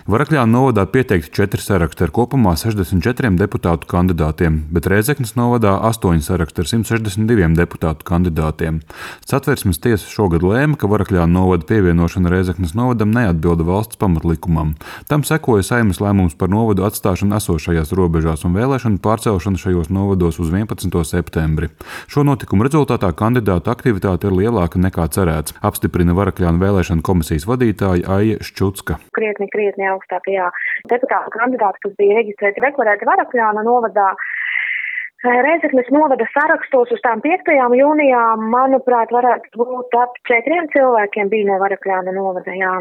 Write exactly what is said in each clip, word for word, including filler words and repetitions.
Varakļānu novadā pieteikti četri saraksti ar kopumā sešdesmit četriem deputātu kandidātiem, bet Rēzeknes novadā astoņi saraksti ar simt sešdesmit diviem deputātu kandidātiem. Satversmes tiesa šogad lēma, ka Varakļānu novada pievienošana Rēzeknes novadam neatbilda valsts pamatlikumam. Tam sekoja Saeimas lēmums par novadu atstāšanu esošajās robežās un vēlēšanu pārcelšanu šajos novados uz vienpadsmito septembri. Šo notikumu rezultātā kandidātu aktivitāte ir lielāka nekā cerēts, apstiprina Varakļānu vēlēšanu komisijas vadītāja Aija Ščucka. Krietni, krietni augstākajā deputātu kandidāti, kas bija reģistrēti deklarēti Varakļāna novadā. Rēzeknes novada sarakstos uz tām piektajām jūnijām, manuprāt, varētu būt ap četriem cilvēkiem bija no Varakļāna novada, jā.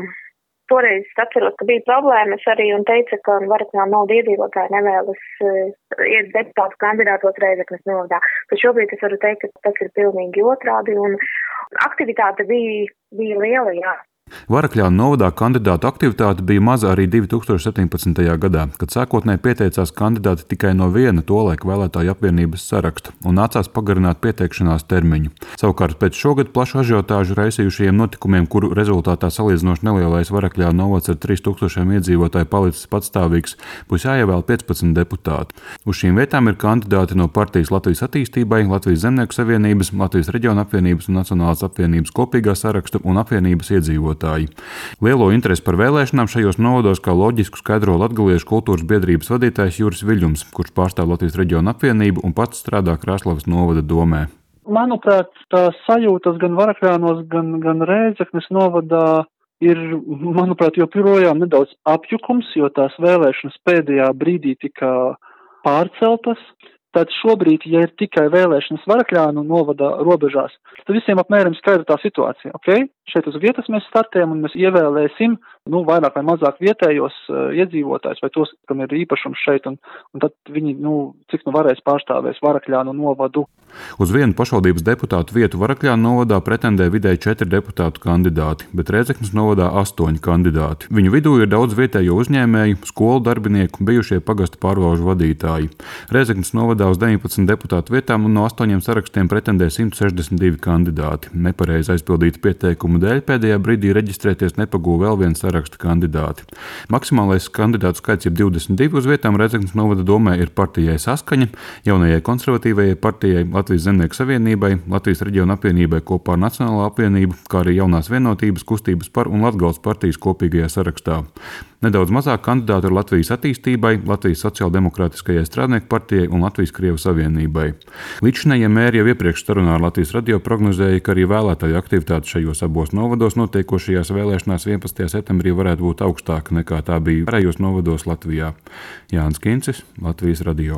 Toreiz atceros, ka bija problēmas arī un teica, ka Varakļāna novada iedzīvotāji nevēlas iet deputātu kandidātos Rēzeknes novadā. Bet šobrīd es varu teikt, ka tas ir pilnīgi otrādi un aktivitāte bija, bija liela, jā. Varakļānu novadā kandidātu aktivitāte bija maza arī divi tūkstoši septiņpadsmitajā gadā, kad sākotnēji pieteicās kandidāti tikai no viena tolaik vēlētāju apvienības saraksta un nācās pagarināt pieteikšanās termiņu. Savukārt pēc šogad plašu ažiotāžu raisījušajiem notikumiem, kuru rezultātā salīdzinoši nelielais Varakļānu novads ar trīs tūkstošiem iedzīvotāju palicis patstāvīgs, būs jāievēl piecpadsmit deputāti. Uz šīm vietām ir kandidāti no partijas Latvijas attīstībai, Latvijas zemnieku savienības, Latvijas reģiona apvienības un Nacionālās apvienības kopīgā saraksta un apvienības iedzīvotāji. Lielo interesi par vēlēšanām šajos novados kā loģisku skaidro Latgaliešu kultūras biedrības vadītājs Juris Viļņums, kurš pārstāv Latvijas reģiona apvienību un pats strādā Krāslavas novada domē. Manuprāt, tās sajūtas gan Varakļānos, gan, gan Rēzeknes novadā ir, manuprāt, joprojām nedaudz apjukums, jo tās vēlēšanas pēdējā brīdī tika pārceltas. Tad šobrīd, ja ir tikai vēlēšanas Varakļānu novada robežās, tad visiem apmēram skaidra tā situācija. Okay? Šeit uz vietas mēs startējam un mēs ievēlēsim nu, vairāk vai mazāk vietējos uh, iedzīvotājus vai tos, kam ir īpašums šeit, un, un tad viņi, nu, cik nu varēs pārstāvēs Varakļānu novadu. Uz vienu pašvaldības deputātu vietu Varakļānu novadā pretendē vidēji četri deputātu kandidāti, bet Rēzeknes novadā astoņi kandidāti. Viņu vidū ir daudz vietējo uzņēmēju, skolu darbinieku, bijušie pagastu pārvalžu vadītāji. Rēzeknes novadā uz deviņpadsmit deputātu vietām un no astoņiem sarakstiem pretendē simt sešdesmit divi kandidāti. Nepareizi aizpildīta pieteikuma dēļ pēdējā brīdī reģistrēties nepagūva vēl viens saraksta kandidāti. Maksimālais kandidātu skaits ir divdesmit divi uz vietām Rēzeknes novada domē ir partijai Saskaņa, jaunajai konservatīvajai partijai, Latvijas zemnieku savienībai, Latvijas reģiona apvienībai kopā ar Nacionālo apvienību, kā arī jaunās vienotības, kustības par un Latgales partijas kopīgajā sarakstā. Nedaudz mazāk kandidātu ir Latvijas attīstībai, Latvijas sociāldemokrātiskajai strādnieku partijai un Latvijas Krievu savienībai. Līdzinējie mēri jau iepriekš sarunā ar Latvijas radio prognozēja, ka arī vēlētāju aktivitāte šajos abos novados notiekošajās vēlēšanās vienpadsmitajā septembrī varētu būt augstāka nekā tā bija pārējos novados Latvijā. Jānis Kincis, Latvijas radio.